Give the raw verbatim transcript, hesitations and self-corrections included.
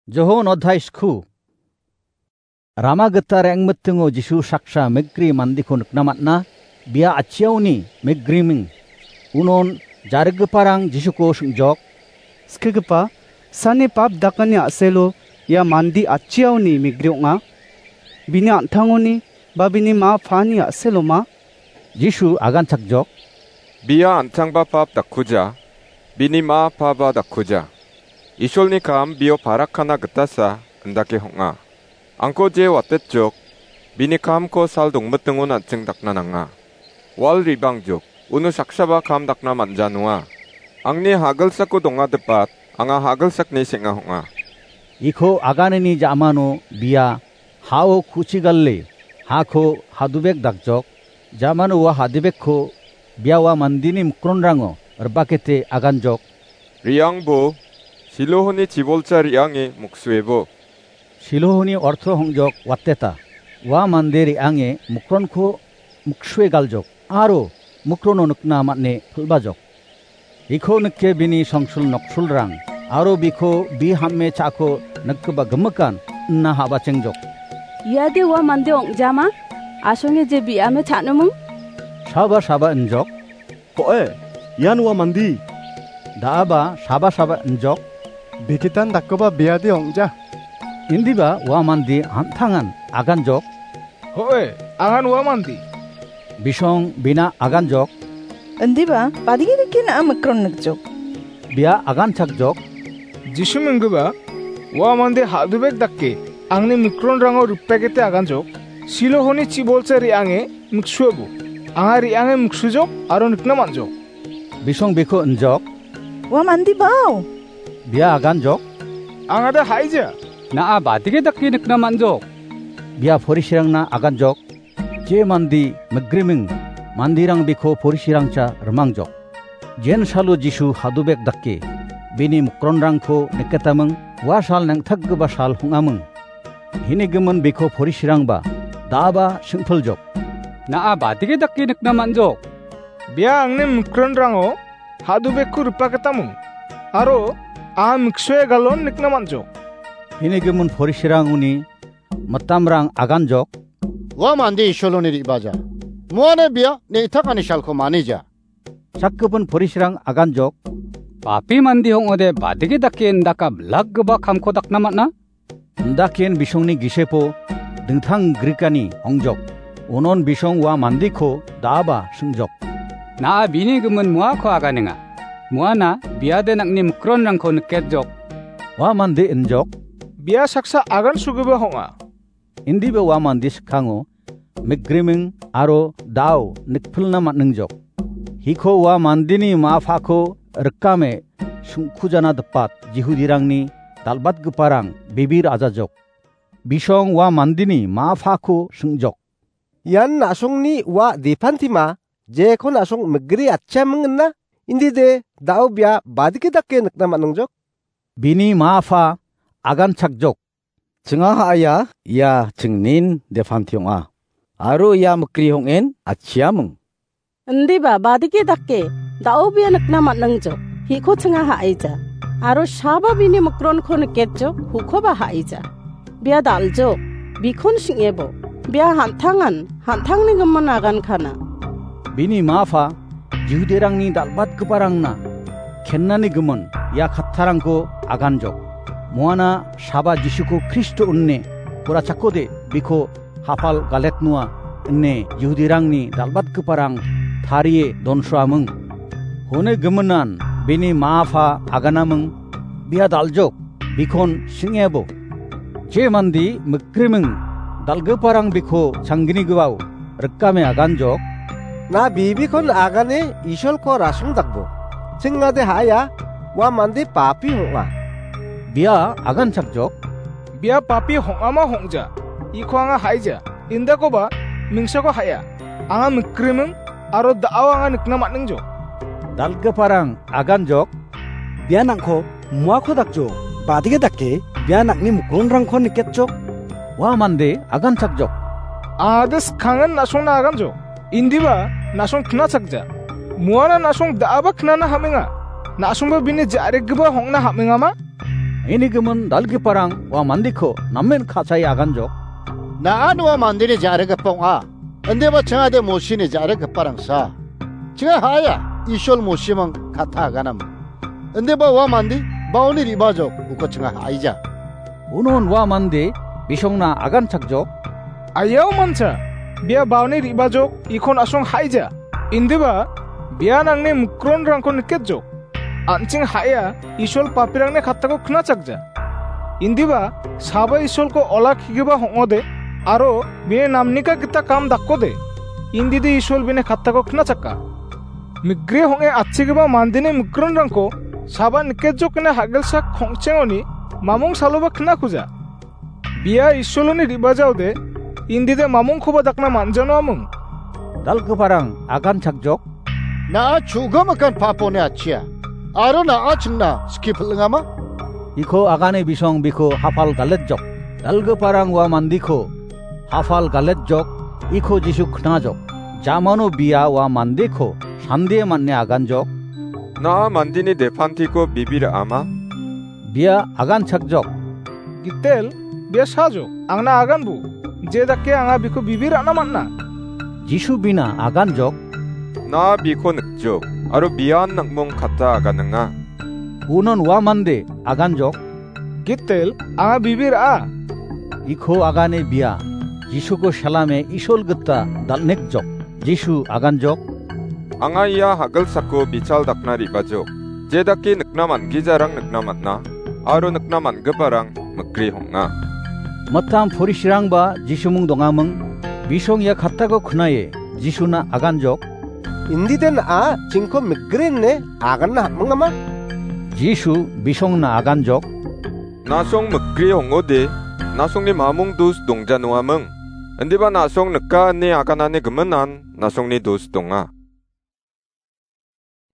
Johon odhai skhu. Rama gita rengmitingo Jisu saksa migri mandiko nikna man·a, bia atchiaoni migriming. Unon jariggiparang Jisuko sing·jok. Skigipa, sani pap dakani a·selo ia mande atchiaoni migri ong·a. Bini an·tangoni ba bini ma paani a·seloma? Jisu aganchakjok. Bia an·tangba pap dakkuja, bini ma paba dakkuja. Isolni kam bio parakkana gitasa indake hong·a. Angko je watetjok, bini kamko sal dongmitingon an·ching dakna nanga. Wal ribangjok, uno saksaba kam dakna man·janoa. Angni hagilsako dongadipat, anga hagilsakni seng·a hong·a. Iko aganini ja·mano bia hao kuchigale, hako hadubek dakjok, ja·mano ua hadubekko bia ua mandini mikronrango ribakete aganjok. Re·angbo, Silohoni chibolcha re·ange muksuebo. Silohoni orto hongjok wateta. Ua mande re·ange mikronko miksue galjok, aro mikrono nikna man·e pil·bajok. Iko nike bini songsul noksulrang, aro biko bi ham·e cha·ako nikgipa gimikan ina habachengjok. Iade ua mande ong·jama? Asonge je bi·ame cha·noming? Saba saba injok. Ko·e, ian ua mande. Da·aba saba saba injok. Bikitan dakgipa biade ong·ja. Indiba ua mande an·tangan aganjok. Ho·e, angan ua mande. Bisong bina aganjok. Indiba, badigi dake na·a mikron nikjok. Bia aganchakjok. Jisu minggiba, ua mande hadubek dake, angni mikronrango ripegete aganjok. Silohoni chibolcha re·ange miksuebo. Anga re·ange miksujok, aro nikna man·jok. Bisong biko injok. Ua mande bao. Bia aganjok. Angade haija. Na·a badigi dake nikna man·jok. Bia porisirangna aganjok. Je mande migriming, mandirang biko porisirangcha rimangjok. Jen salo Jisu hadubek dake, bini mikronrangko niketaming, ua sal neng·takgipa sal hong·aming. Hini gimin biko porisirangba, da·aba singpiljok. Na·a badigi dake nikna man·jok. Bia angni mikronrango hadubekko ripaketaming, aro a miksue galon nikna man·jok. Hini gimin porisirangoni mitamrang aganjok. Ua mande Isoloni re·baja. Muane bia neng·takani salko manija. Sakgipin porisirang aganjok. Papi mande ong·ode badigi dake indaka bilakgipa kamko dakna man·a? Indaken bisongni gisepo dingtang grikani ongjok. Unon bisong ua mandeko da·aba singjok. Na·a bini gimin muako aganenga. Muana biade nang·ni mikronrangko niketjok. Ua mande injok. Bia saksa agansogipa ong·a. Indiba ua mande skang·o mikgriming aro da·o nikpilna man·ingjok. Hiko ua mandeni ma·a pako rikame singkujana dipat Jihudirangni dal·batgiparang bibir ajajok. Bisong ua mandeni ma·a pako singjok. Ian na·songni ua depantima, jekon na·song mikgri atchiaming ina, indide da·o bia badike dake nikna man·ingjok. Bini ma·a pa aganchakjok. Chinga ha·aia ia chingnin depanti ong·a. Aro ia mikgri ong·en atchiaming. Indiba badike dake da·o bia nikna man·ingjok. Hiko chinga ha·aija. Aro saba bini mikronko niketjok, hukoba ha·aija. Bia dal·jok, bikon sing·ebo. Bia han·tangan, han·tangni gimin agankana. Bini ma·a pa Jihudirangni dal·batgiparangna kennani gimin ia kattarangko aganjok. Muana saba Jisuko Kristo ine pura chakode biko hapal galetnoa ine Jihudirangni dal·batgiparang tarie donsoaming. Hone giminan bini ma·a pa aganaming, bia dal·jok, bikon sing·ebo. Je mande mikgriming dal·giparang biko changgnigipao rikame aganjok. Na bibikon agane Isolko rasongdakbo. Chingade ha·aia, ua mande papi ong·a. Bia aganchakjok. Bia papi ong·ama ong·ja. Iko anga ha·aija. Indakoba mingsako ha·aia. Anga mikgriming aro da·o anga nikna man·ingjok. Dal·giparang aganjok. Bia nangko muako dakjok. Badike dake bia nangni mikronrangko niketjok. Ua mande aganchakjok. Angade skangen na·songna aganjok. Indiba na·song knachakja. Muana na·song da·aba knana ham·enga. Na·songba bini ja·regipa ong·na ham·engama? Nangni gimin dal·giparang ua mandeko namen ka·sae aganjok. Na·a ua mandeni ja·rigipa ong·a. Indiba chingade Mosini ja·rigiparangsa. Chinga ha·aia, Isol Mosiming kata aganama. Indiba ua mande baoni re·bajok uko chinga ha·aija. Unon ua mande bisongna aganchakjok. Ayau mancha, bia baoni re·bajok ikon asong ha·aija. Indiba bia nangni mikronrangko niketjok. An·ching ha·aia Isol papirangni kattako knachakja. Indiba saba Isolko olakkigipa ong·ode aro bini namnika gita kam dakode. Indide Isol bini kattako knachaka. Migri ong·e atchigipa mandeni mikronrangko saba niketjokna ha·gelsak kongchengoni mamung saloba knakuja. Bia Isoloni re·bajaode, indide mamungkoba dakna man·janoaming. Dal·giparang aganchakjok. Na·a chu·gimikan paponi atchia, aro na·a chingna skie pil·ingama? Iko agane bisong biko hapal galetjok. Dal·giparang ua mandeko hapal galetjok, iko Jisu knajok. Jamano bia ua mandeko sandie man·e aganjok. Na·a mandeni depantiko bibi ra·ama? Bia aganchakjok. Gitel, bia sajok, angna aganbo. Je dake anga biko bibi ra·na man·a. Jisu bina aganjok. Na·a biko nikjok, aro bian nang·mong kata aganinga. Unon ua mande aganjok. Gitel, anga bibi ra·a. Iko agane bia, Jisuko salame Isol gita dal·nekjok. Jisu aganjok. Anga ia hagilsako bichal dakna re·bajok. Je dake nikna man·gijarang nikna man·a, aro nikna man·giparang mikri ong·a. Mitam porisirangba Jisumung dongaming. Bisong ia kattako knae Jisuna aganjok. Indide na·a chingko mikri ine aganna ham·mingama? Jisu bisongna aganjok. Na·song mikri ong·ode, na·songni mamung dos dongjanoaming. Indiba na·song nika ine aganani giminan na·songni dos donga.